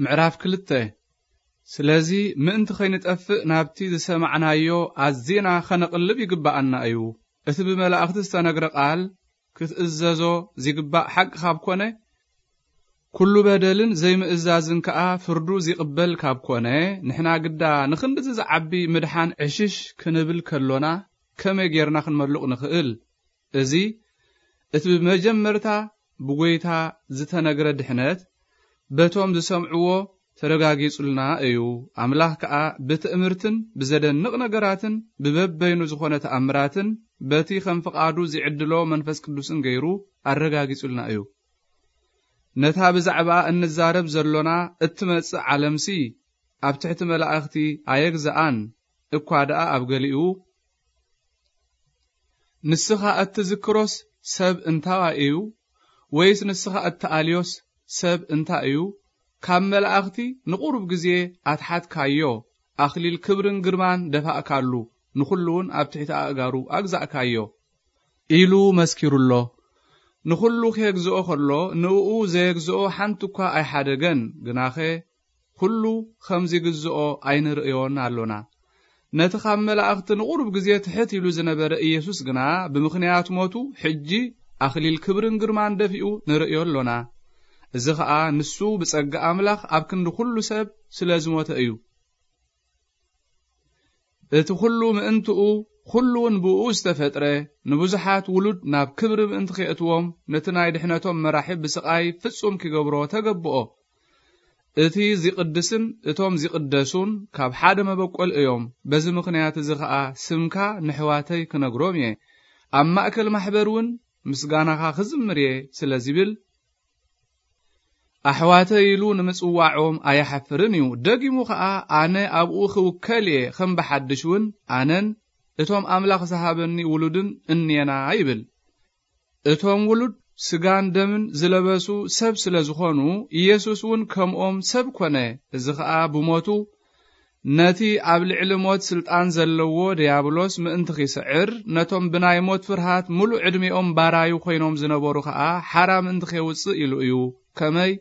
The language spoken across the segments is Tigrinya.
ምዕራፍ ክልተ። ስለዚ ምእንቲ ኸይንጠፍእ ናብቲ ዝሰማዕናዮ ኣዚና ኸነቕልብ ይግብኣና እዩ። እቲ ብመላእኽቲ ዝተነግረ ቃል ክትእዘዞ ዚግባእ ሓቂ ካብ ኮነ፣ ኩሉ በደልን ዘይምእዛዝን ከኣ ፍርዱ ዚቕበል ካብ ኮነ፣ ንሕና ግዳ ንኽንድዚ ዝዓቢ ምድሓን ዕሽሽ ክንብል ከሎና፣ ከመይ ጌርና ክንመልቕ ንኽእል? እዚ እቲ ብመጀመርታ ብጐይታ ዝተነግረ ድሕነት በቶም ዝሰምዕዎ ተረጋጊጹልና እዩ። ኣምላኽ ከኣ ብትእምርትን ብዘደንቕ ነገራትን ብበበይኑ ዝኾነ ተኣምራትን በቲ ከም ፍቓዱ ዝዕድሎ መንፈስ ቅዱስን ገይሩ ኣረጋጊጹልና እዩ። ነታ ብዛዕባኣ እንዛረብ ዘሎና እትመጽእ ዓለምሲ ኣብ ትሕቲ መላእኽቲ ኣየግዝኣን እኳ ደኣ ኣብ ገሊኡ፣ ንስኻ እትዝክሮስ ሰብ እንታዋይ እዩ? ወይስ ንስኻ እትኣልዮስ ሰብ እንታይ እዩ? ካብ መላእኽቲ ንቑሩብ ግዜ ኣትሓትካዮ፣ ኣኽሊል ክብርን ግርማን ደፋእካሉ፣ ንኹሉ እውን ኣብ ትሕቲ ኣእጋሩ ኣግዛእካዮ ኢሉ መስኪሩሎ። ንኹሉ ኬግዝኦ ኸሎ ንእኡ ዘየግዝኦ ሓንቲ እኳ ኣይሓደገን። ግናኸ ኩሉ ከም ዚግዝኦ ኣይንርእዮን ኣሎና። ነቲ ካብ መላእኽቲ ንቑሩብ ግዜ ትሕት ኢሉ ዝነበረ ኢየሱስ ግና ብምኽንያት ሞቱ ሕጂ ኣኽሊል ክብርን ግርማን ደፊኡ ንርእዮ ኣሎና። እዚ ኸኣ ንሱ ብጸጋ ኣምላኽ ኣብ ክንዲ ኩሉ ሰብ ስለ ዝሞተ እዩ። እቲ ኩሉ ምእንትኡ፣ ኩሉ እውን ብእኡ ዝተፈጥረ፣ ንብዙሓት ውሉድ ናብ ክብሪ ምእንቲ ኬእትዎም፣ ነቲ ናይ ድሕነቶም መራሒ ብስቓይ ፍጹም ኪገብሮ ተገብኦ። እቲ ዚቕድስን እቶም ዚቕደሱን ካብ ሓደ መበቆል እዮም። በዚ ምኽንያት እዚ ኸኣ ስምካ ንኣሕዋተይ ክነግሮም እየ። ኣብ ማእከል ማሕበር እውን ምስጋናኻ ክዝምር እየ ስለ ዚብል፣ ኣሕዋተይ ኢሉ ንምጽዋዖም ኣይሓፍርን እዩ። ደጊሙ ኸኣ ኣነ ኣብኡ ክውከል እየ፣ ከም ብሓድሽ እውን ኣነን እቶም ኣምላኽ ዝሃበኒ ውሉድን እንየና ይብል። እቶም ውሉድ ስጋን ደምን ዝለበሱ ሰብ ስለ ዝኾኑ፣ ኢየሱስ እውን ከምኦም ሰብ ኮነ። እዚ ኸኣ ብሞቱ ነቲ ኣብ ልዕሊ ሞት ስልጣን ዘለዎ ድያብሎስ ምእንቲ ኺስዕር፣ ነቶም ብናይ ሞት ፍርሃት ምሉእ ዕድሜኦም ባራዩ ኾይኖም ዝነበሩ ኸኣ ሓራ ምእንቲ ኼውጽእ ኢሉ እዩ። ከመይ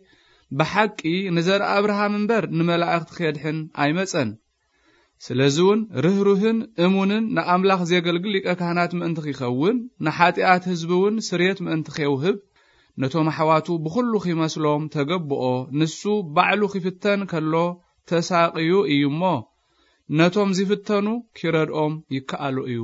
ብሓቂ ንዘርኢ ኣብርሃም እምበር ንመላእኽቲ ኼድሕን ኣይመጸን። ስለዚ እውን ርህሩህን እሙንን ንኣምላኽ ዜገልግል ሊቀ ካህናት ምእንቲ ኺኸውን፣ ንሓጢኣት ህዝቢ እውን ስርየት ምእንቲ ኼውህብ፣ ነቶም ኣሕዋቱ ብኹሉ ኺመስሎም ተገብኦ። ንሱ ባዕሉ ኺፍተን ከሎ ተሳቕዩ እዩ እሞ፣ ነቶም ዚፍተኑ ኪረድኦም ይከኣሎ እዩ።